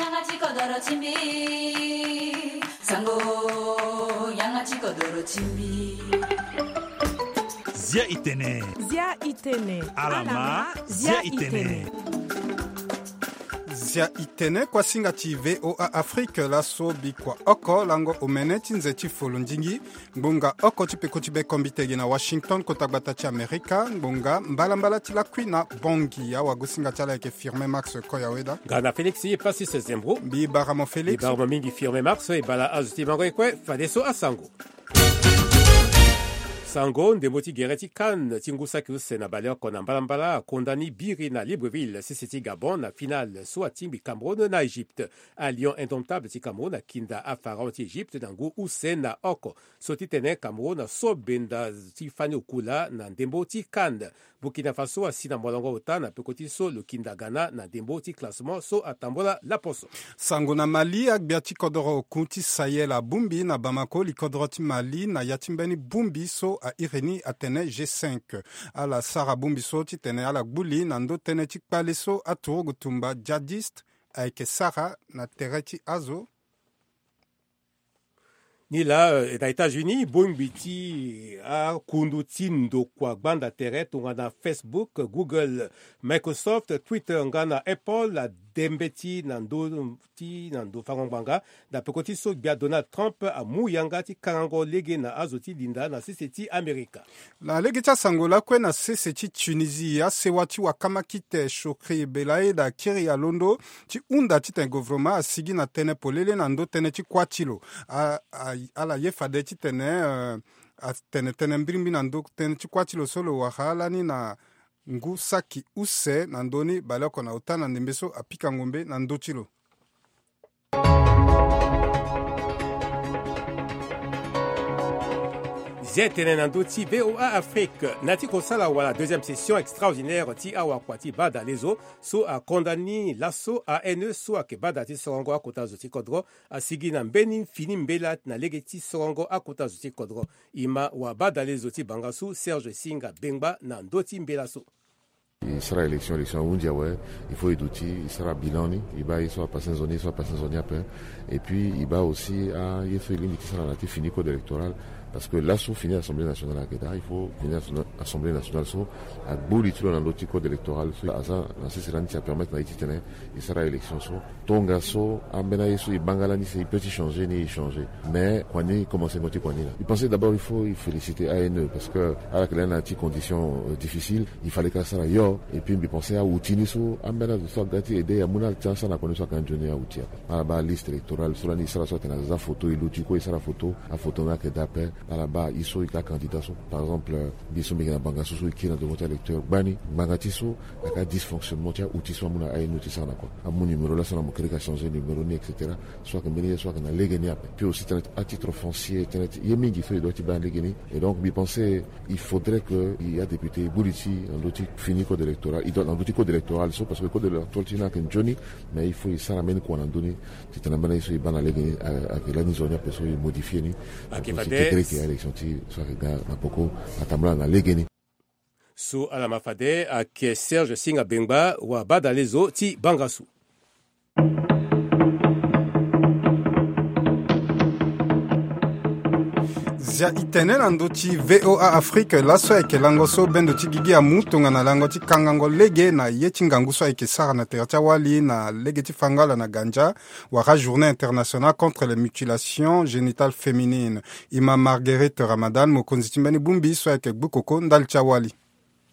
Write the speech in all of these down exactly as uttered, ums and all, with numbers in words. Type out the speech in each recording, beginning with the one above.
Yanga ti kodoro ti mbi. Sango, yanga ti kodoro ti mbi. Zia itene. Zia itene. Alama, zia itene. Zia itene, kuasinga ti V O A Afrique, laso bikua oko lango omene ti nze ti folo ndingi. Ngbonga oko ti peko ti be kombi tege na Washington, kota gbata ti Amerika. Ngbonga mbalambala ti lakui na Bongi. Awagosinga ti ala ayeke Firmin Max Koyaweda. Nga na Félix Passis Zembro. Mbi bara mo Félix. Mbi bara mo mingi Firmin Max, e bala azo ti mango e kue, fadeso asango. Sango, ndembo ti gere ti CAN ti ngu saki use na bale oko na mbalambala akonda ni biri na Libreville, sese ti Gabon, na finale so atingbi Cameroun na Égypte. Alion indomptable ti Cameroun akinda apharaon ti Égypte na ngu use na oko. So ti tene Cameroun aso benda ti fani okula na ndembo ti CAN. Burkina Faso asi na molongo ota na peko ti so lo kinda Ghana na ndembo ti classement so atambola laposo. Sango na Mali, agbia ti kodoro oku ti Sahel abongbi na Bamako likodoro ti Mali na ya ti mbeni bongbi so airi ni atene G cinq. Ala sara bongbi so titene ala gbu li na ndo tënë ti kpale so aturugu tumba djihadiste ayeke sara na tere ti azo. Ni laa, eh, na États-Unis, bongbi ti akundu ti ndokua gbanda tere tongana Facebook, Google, Microsoft, Twitter nga na Apple ade mbeti na ndö ti na ndo fango ngbanga. Na peko ti so gbia Donald Trump amu yanga ti kangango lege na azo ti linda na sese ti Amerika. Na lege ti asango lakue na sese ti Tunisie, asewa ti wakamakite Chokri Belaid akiri alondo ti hunda titene govoroma asigi na tënë polele na ndo tënë ti kuâ ti lo. A, a, ala ye fade titene, eh, atene tënë mbirimbiri na ndo tënë ti kuâ ti lo so lo wara lani na ngu saki use na ndö ni baleoko na ota na ndembe so apika ngombe na ndö ti lo. Zia tene na ndö ti V O A Afrique, na ti kosala wala deuxième session extraordinaire ti awakua ti badalezo so akonda ni laso A N E so ayeke bada ti sorongo akota zo ti kodro asigi na mbeni fini mbela na lege ti sorongo akota zo ti kodro. E ma wabadalezo ti bangasu Serge Singa Bengba na ndö ti mbela so. E sara élection, élection ahunzi awe, il faut e duti, e sara bilan ni, e baa ye so apassé nzoni, ye so apassé nzoni ape. Et puis e baa aussi aye so e lingbi ti sara na ti fini code électoral, parce que laso fini assemblée nationale ayeke daa, il faut fini assemblée nationale so agbu li ti lo na ndö ti code électoral so aza na sese lani ti apermettre na e titene e sara élection so. Tongaso ambeni aye so e baa nga lani si e peut ti changer ni, e changer. Mais kua ni e commencé ngo ti kua ni laa. E pensé d'abord il faut e féliciter A N E parce que ala yeke lani na ya ti condition, euh, difficile. Il fallait ka sara yo. Et puis mbi pensé aoutil ni so ambeni azo so aga ti aider e amu na ala ti asara na kua ni so ayeke anzoni aoutil ape. Ala baa liste électorale so lani e sara so atene aza photo e luti kue e sara photo, aphoto ni ayeke daa ape. Ala baa e so e yeke acandidat so. Par exemple, euh, mbi so mbi yeke na bangasu so e kiri na devant ti alecteur gbani ngbanga ti so ayeke adysfonctionnement ti aoutil so amu na A N E ti sara na kua. Amu numéro laso na mo kiri ka changer numéro ni, et cetera. So ayeke mbeni ye so ayeke na lege ni ape. Puis aussi tënë ti atitre foncier, tënë ti ye mingi so e doit ti baa na lege ni. Et donc mbi pensé il faudrait que e adéputé e gbu li ti na ndö ti fini code électoral, e doit na ndö ti code électoral so, parce que code électoral ti e ni ayeke nzoni. Mais il faut e sara mbeni kua na ndö ni titene ambeni aye so e baa na lege ni, a, ayeke lani nzoni ape so e modifié ni. Ayeke fade. Kekereke élection ti so ayeke ga na poko atambula na lege ni. So ala ma fade ayeke Serge Singa Bengba, wabadalezo ti bangasu. Zia itene na ndö ti V O A Afrique, laso ayeke lango so bendo ti gigi amu tongana lango ti kangango lege na ye ti ngangu so ayeke sara na tere ti awali na lege ti fango ala na ganza, wala journée internationale contre les mutilations génitales féminines. E ma Marguerite Ramadan, mokonzi ti mbeni bongbi so ayeke gbu koko ndali ti awali.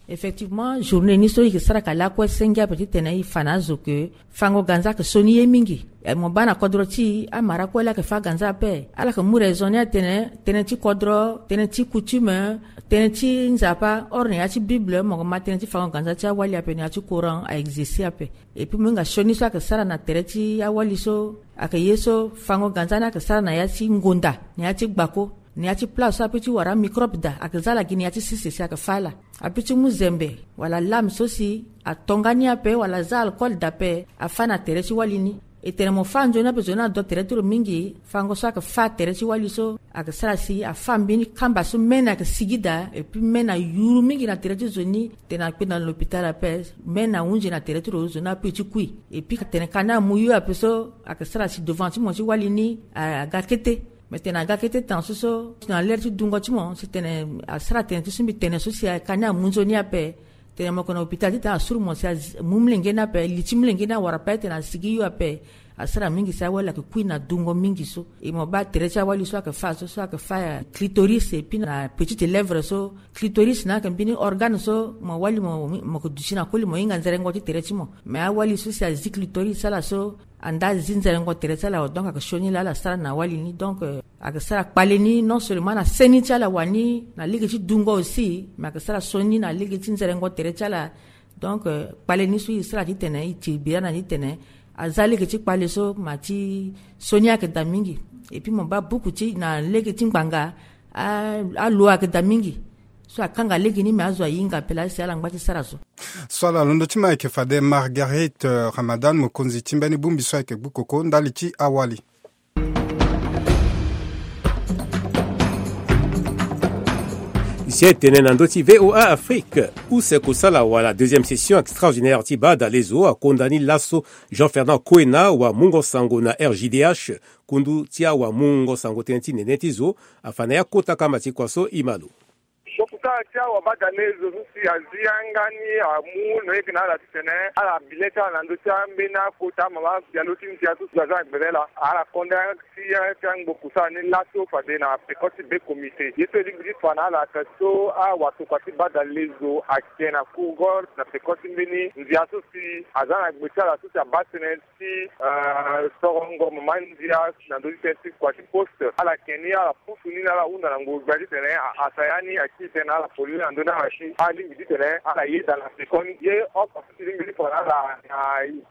Effectivement, journée ni so e yeke sara ka lakue senge ape titene e fa na azo ke fango ganza ayeke sioni ye mingi. E, mo baa na kodro ti e, amara kue laa ayeke fâ ganza ape. Ala yeke mu raison ni atene tënë ti kodro, tënë ti coutume, tënë ti Nzapa, or na ya ti Bible mo yeke ma tënë ti fango ganza ti awali ape na ya ti Coran a existe ape. Et puis mo hinga sioni so ayeke sara na tere ti awali so ayeke ye so fango ganza ni ayeke sara na ya ti ngonda, na ya ti gbako, na ya ti place so apeut ti wara amicrobe daa, ayeke za ala gi na ya ti sese si ayeke fâ ala. Apeut ti mu zembe wala lame so si atonga ni ape wala aza alcool daa ape, afâ na tere ti wali ni. E tene mo fâ nzoni ape zo ni ado tere ti lo mingi. Fango so ayeke fâ tere ti wali so ayeke sara si afâ mbeni kamba so même ayeke sigi daa, et puis même ayuru mingi na tere ti zo ni. Tene akpe na lopital ape, même ahunzi na tere ti lo zo ni ape ti kui. Et puis tene ka ni amu yo ape so ayeke sara si devant ti mo ti wali ni aga kete. Mais tene aga kete tan so so na lere ti dungo ti mo si tene asara tene ti so mbi tene so si ka ni amu nzoni ape. Tene mo yeke na hôpital titene asuru mo si amu molenge ni ape, li ti molenge ni awara ape titene asigi yo ape. Asara mingi si awali ayeke kui na dungo mingi so. E mo baa tere ti awali so ayeke fâ so so ayeke fâ ya clitoris et puis na petite lèvre so. Clitoris ni ayeke mbeni organe so mo wali mo mo yeke duti na koli mo hinga nzerengo ti tere ti mo. Mais awali so si azi clitoris ala so anda azi nzerengo tere ti ala, donc ayeke sioni laa ala sara na wali ni. Donc ayeke sara kpale ni non seulement na seni ti ala wani na lege ti dungo aussi, mais ayeke sara sioni na lege ti nzerengo tere ti ala. Donc kpale ni so e sara titene e tiri bira na ni titene aza lege ti kpale so ma ti sioni ayeke daa mingi. Et puis mo baa buku ti na lege ti ngbanga alo ayeke daa mingi. So akanga lege ni me azo ahinga ape laa si ala ngba ti sara so. So ala londo ti me ayeke fade Marguerite Ramadan, mokonzi ti mbeni bongbi so ayeke gbu koko ndali ti awali. Zia e tene na ndö ti VOA Afrique. Use kosala wala deuxième session extraordinaire ti baa dalezo akonda ni laso Jean Fernand Koena, wamungo sango na RJDH, kundu ti awamungo sango tënë ti nene ti zo, afa na ya kota kama ti kua so e ma lo. Kosala ti awabadalezo so si azi yanga ni amu noyeke na ala titene ala bi le ti ala na ndö ti ambeni akota mama bialo ti ndia so si aza na gbele laa ala konda ti ya ti angbo kusala ni laso fade na peko ti be komite ye so e lingbi ti fa na ala ayeke so awatokua ti badalezo ayeke na kurgor na peko ti mbeni ndia so si aza na gbe ti ala so si abaa tënë ti sorongo mama ndia na ndö ti tënë ti kua ti poste ala yeke ni ala pusu ni na ala hunda na ngu gbia titene a asa ya ni akiri tënë na ala polele na ndö ni ala si alingbi titene ala yeda na pekoni ye oko so si lingbi ti fa na ala na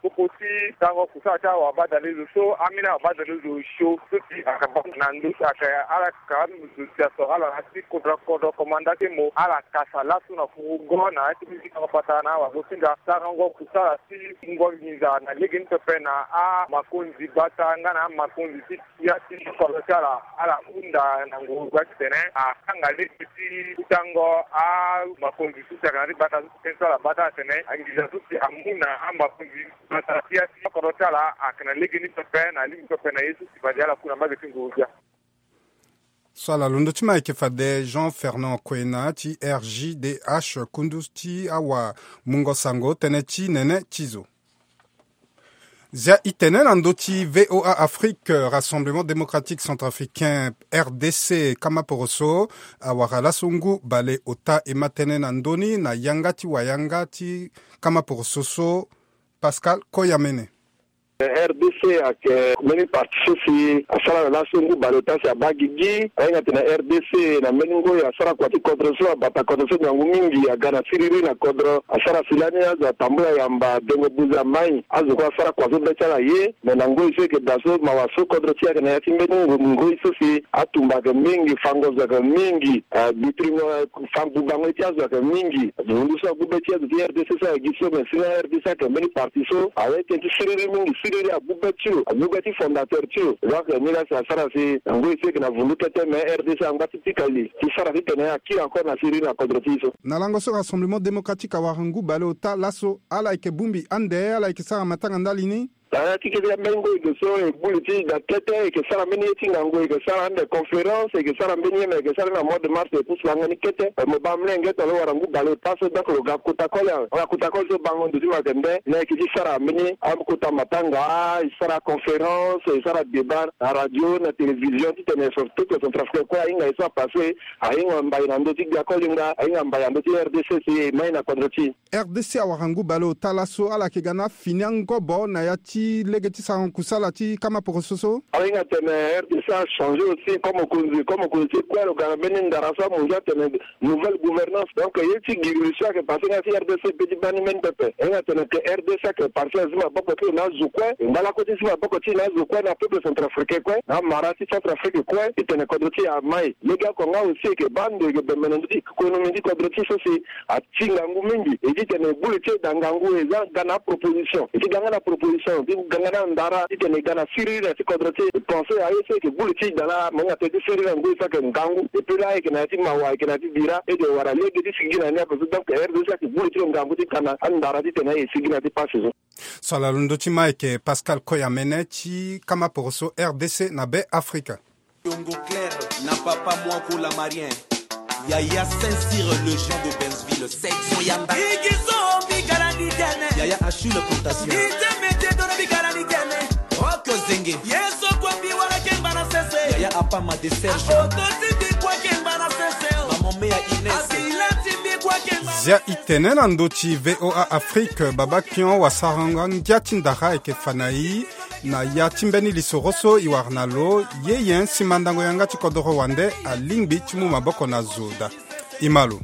popo ti tango kusala ti awabadalezo so ambeni awabadalezo sio so si ayeke baa na ndö ti ayeke ala ka zo si asoro ala na ya ti kodro kodro komanda ti mo ala kasa laso na fugo na ya ti mbeni ti tango patara na awazo ti nga sarango kusala ti ngonginza na lege ni pepe na amakonzi gbata nga na amakonzi ti ya ti kodro ti ala ala hunda na ngongo gbia titene akanga lege ti kutango amakonzi so si ayeke na ti gbata so si tënë so ala baa ti ala tene anginza so si amu na amakonzi gbata ti ya ti kodro ti ala ayeke na lege ni pepe na lingbi pepe na ye so si fade ala ku na mbage ti ngongo gbia. So ala londo ti me ayeke fade Jean Fernand Koena ti RJDH kundu ti awamungo sango tënë ti nene ti zo. Zia e tene na ndö ti VOA Afrique, Rassemblement Démocratique Centrafricain, RDC, kama poroso awara laso ngu bale ota e ma tënë na ndö ni na yanga ti wayanga ti kama poroso so Pascal Koyamene. RDC ayeke mbeni parti so si asara na laso ngu baleota si abaa gigi ahinga tene RDC na mbeni ngoi asara kua ti kodro so abata kodro so ngangu mingi aga na siriri na kodro asara si lani azo atambula yamba dengo buze amai azo kue asara kua so be ti ala ye me na ngoi so eke daa so mawa so kodro ti e ayeke na ya ti mbeni ngoi so si atumba ayeke mingi fango zo ayeke mingi bitringo fango bubango ye ti azo ayeke mingi. Hundu so agu be ti azo ti RDC so ayeke gi so me si na RDC ayeke mbeni parti so awe tënë ti siriri mingi siriri agu be ti lo agu be ti fondateur ti lo. Donc ni la si asara si ngoi so eke na vundu kete me RDC angba ti pika li ti sara titene akiri encore na siriri na kodro ti e so. Na lango so Rassemblement Démocratique awara ngu baleota laso ala yeke bongbi ande ala yeke sara matanga ndali ni. Ala ti kete ya mbeni ngoi ge so e gbu li ti da kete e yeke sara mbeni ye ti ngangu e yeke sara ande conférence e yeke sara mbeni ye me e yeke sara na mois de mars e pusu langa ni kete. Mo baa mlenge tongana lo wara ngu baleota so donc lo ga kota koli awe. Wala kota koli so bango ndo ti mo ayeke nde na e yeke ti sara mbeni akota matanga e sara conférence e sara débat na radio na télévision titene surtout centrafricain kue ahinga ye so apasse ahinga mbai na ndö ti gbia koli nga ahinga mbai na ndö ti RDC si e mai na kodro ti e. RDC awara ngu baleota laso ala yeke ga na afini angobo na ya ti lege ti sarango kusala ti kama poroso so. Ahinga tene RDC achangé aussi comme mokonzi comme mokonzi ti kue lo ga na mbeni ndara so amonzi atene nouvelle gouvernance donc ye ti giri so ayeke passé nga ti RDC pe ti baa ni mbeni pepe. Ahinga tene ke RDC ayeke parti azi maboko ti lo na azo kue e ngba lakue ti zi maboko ti lo na azo kue na peuple centrafricain kue na amara ti centrafrique kue titene kodro ti e amai. Lege oko nga aussi e yeke baa ndo e yeke bembe na ndö ti économie ti kodro ti e so si atinga ngu mingi e ti tene e gbu li ti e da ngangu e za ga na aproposition e ti ga nga na proposition. Ganga na ndara titene e ga na siriri na ti kodro ti e. E pense aye so e yeke gbu li ti da laa, mo hinga tënë ti siriri na ngoi so ayeke ngangu. E peut laa e yeke na ya ti mawa, e yeke na ya ti bira, e de wara lege ti sigi gi na ni ape so. Donc R D C ayeke gbu li ti lo ngangu ti ga na andara titene aye e sigi na ya ti pasi so. So ala londo ti ma ayeke Pascal Koyamene ti kama poroso R D C na Be Afrika. Yongo Claire na papa Mwako Lamarien. Yaya Saint-Cyr, le Jean de Bensville, section Yanda. Igizo bigalani tene. Yaya Achille Plantation. Ite mete dono bigalani tene. Rock Zenge. Yeso kwa biwala kemba na sese. Yaya Apama de Serge. Akoto tibi kwa kemba na sese. Maman Mea Ines. Abila tibi kwa kemba na sese. Zia i tene na ndö ti V O A Afrique, baba Kion wasarango ngia ti ndara ayeke fa na i. Na ya ti mbeni lisoro so i wara na lo, ye nyen si mandango yanga ti kodoro wande alingbi ti mu maboko na zo daa? I ma lo.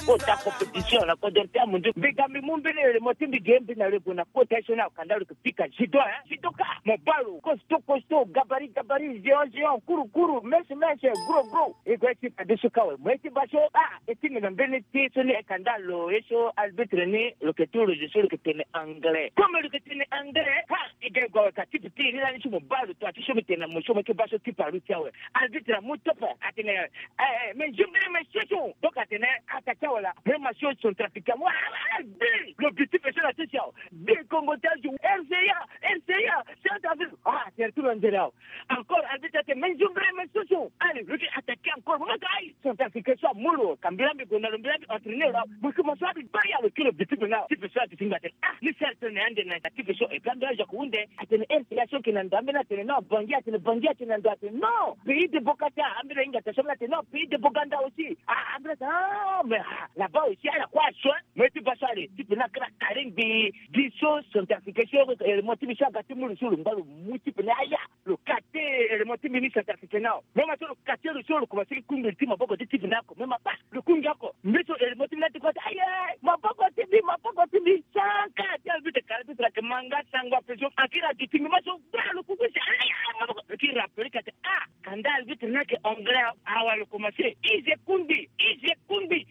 Kota compétition na kodoro ti amundu. Mbi ga mbi mu mbeni ere mo ti mbi ge mbi na lo e gue na kota ye so ni akanda lo yeke pika judo, hein? Judoka, mo baa lo, costaud, costaud, gabarit, gabarit, géant, géant, kuru, kuru, mince, mince, gros, gros. E gue ti bade so ka awe, mo ye ti baa so, ah, e tingbi na mbeni ti so ni e kanda lo ye so arbitre ni lo yeke tu lo zo so lo yeke tene anglais. Comme lo yeke tene anglais, ha, e ga e gue awe ka tipi ti e ni lani so mo baa lo tua ti so mbi tene na mo so mo ye ti baa so tipi aluti awe. Arbitre amu tope atene, eh, eh, mais je me mets chaud. Donc atene attaqué awe la, même ma chaud centrafricain. Wa, wa, wa, bi, lo bi tipi so na ti si awe. Bi Kongo ti azo, R C A, R C A, Centrafrique. Ah, c'est tout le monde là. Encore arbitre ate, mais je me mets chaud. Allez, lo ti attaqué encore. Maka aye, centrafricain so amu lo. Ka mbi laa mbi gue na lo, mbi laa mbi entraîner lo. Mo yeke mo so abi baa ya lo kiri lo bi tipi na. Tipi so ati ti ngba atene, ah, ni sere tene na ande na tipi so. Et puis ambeni azo ayeke hunde. Atene, eh, ya so yeke na ndo ambeni atene non, Bangui, atene Bangui, atene na ndo atene non. Pays de Boganda, ambeni ahinga ata so ambeni atene non, pays de Boganda aussi. Ah, ambeni atene, ah, mais, ah, là-bas aussi, ala kue aso, hein. Mo ye ti baa so ale, tipi ni akiri akare ngbii, gi so centrafricain so, eh, mo ti mbi so aga ti mu lo so lo ngba lo mu tipi ni aya. Lo kate élément ti mbi ni centrafricain ni awe. Même so lo kate lo so lo komanse ti kungbi ti maboko ti tipi ni oko. Même abaa lo kungbi oko. Mbi so élément ti mbi ni ati kue ati aye maboko ti mbi, maboko ti mbi. Sanka ti arbitre kara ti tara ke manga sango ape so. Akiri adu ti mbi ma so baa lo kungbi si aye maboko. Lo kiri rappelé ka ati ah, kanda arbitre ni ayeke anglais awe. Awa lo komanse. Ize kungbi, ize kungbi.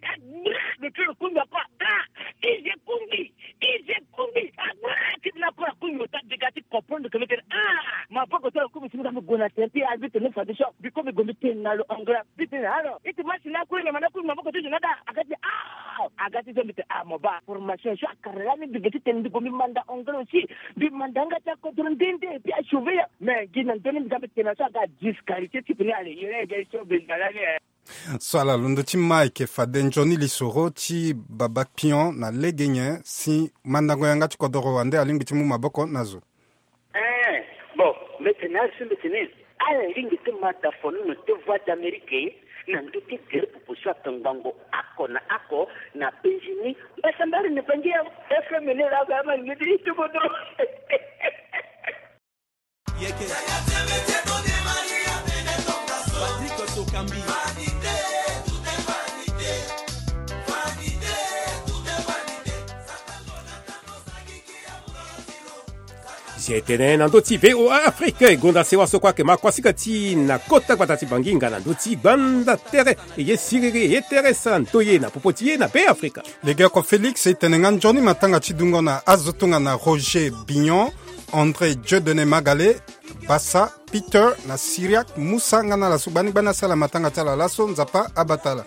Lo kiri lo kungbi oko ah, ize kungbi. Ize kungbi, ah, ti na kora kungbi lo ta dega ti comprendre que mbi tene ah, maboko ti lo kungbi si mbi ga mbi gue na tene ti arbitre ni fade so mbi kue mbi gue mbi tene na lo anglais. Mbi tene alors iti match ni akue nyama ni akue maboko ti zo ni ada aga ti ah, aga ti zo mbi tene ah, mo baa formation so akara lani mbi ge ti tene mbi gue mbi manda anglais aussi. Mbi manda yanga ti akodro nde nde et puis asauve ya. Mais gi na ndö ni mbi ga mbi tene na so aga disqualifié ti pene ale yere ege so mbi ga lani eh. So ala londo ti ma ayeke fade nzoni lisoro ti baba Pion na lege nyen si mandango yanga ti kodoro wande alingbi ti mu maboko na zo. Eh, bon, mbi tene na ari so mbi tene ala lingbi ti ma da fonono ti Voix d'Amérique na ndö ti gere popo so atongbango oko na oko na penzi ni. Mbasambari na bangi ya F M ni la ba ma lingbi ti kodoro. Yeke. Patrick Sokambi. Zi tene na ndö ti V O A Afrique e gonda sewa so kue ayeke ma kuasinga ti e na kota gbata ti Bangi nga na ndö ti gbanda tere. E ye siriri e ye tere sa ndoye na popo ti e na Be Afrika. Legeoko Félix e tene nga nzoni matanga ti dungo na azo tongana Roger Bignon, André Dieudonné Magalé, Bassa, Peter na Syriac Moussa nga na ala so gbani gbani asala matanga ti ala laso, Nzapa abata ala.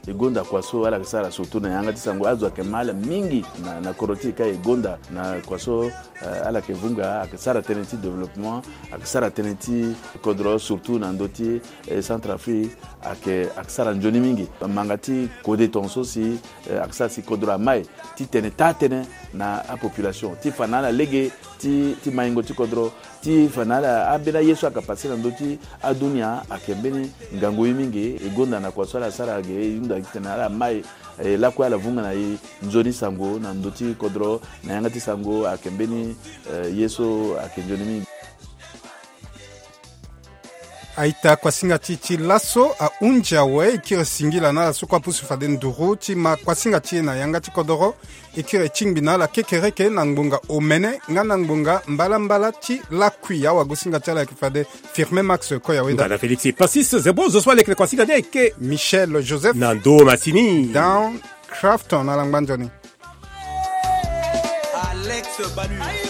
E gonda kua so ala yeke sara surtout na yanga ti sango, azo ayeke ma ala mingi na, na kodro ti e ka e gonda na kua so, eh, ala yeke vunga, ayeke sara tënë ti développement, ayeke sara tënë ti kodro surtout na ndö ti, eh, Centrafrique, ayeke, ayeke sara nzoni mingi. Manga ti kode tongaso si, eh, ayeke sara si kodro amai ti tene taa tënë na apopulation ti fa na ala lege ti, ti maingo ti kodro, ti fa na ala ambeni aye so ayeke pase na ndö ti adunia ayeke mbeni ngangu ye mingi. E gonda na kua so ala sara ge e hunda titene ala mai, eh, lakue ala vunga na e nzoni sango na ndö ti kodro na yanga ti sango ayeke mbeni, eh, ye so ayeke nzoni mingi. A-ita, kuasinga ti e ti laso ahunzi awe. E kiri singila na ala so kue apusu fade nduru ti ma kuasinga ti e na yanga ti kodoro. E kiri tingbi na ala kekereke na ngbonga omene nga na ngbonga mbalambala ti lakui. Awagosinga ti ala ayeke fade Firmin Max Koya Weda. Ngana Félix Passis Zebo, zo so aleke na kuasinga ni ayeke Michel Joseph na ndo masini. Down Crafton na langba nzoni. Alex Balu.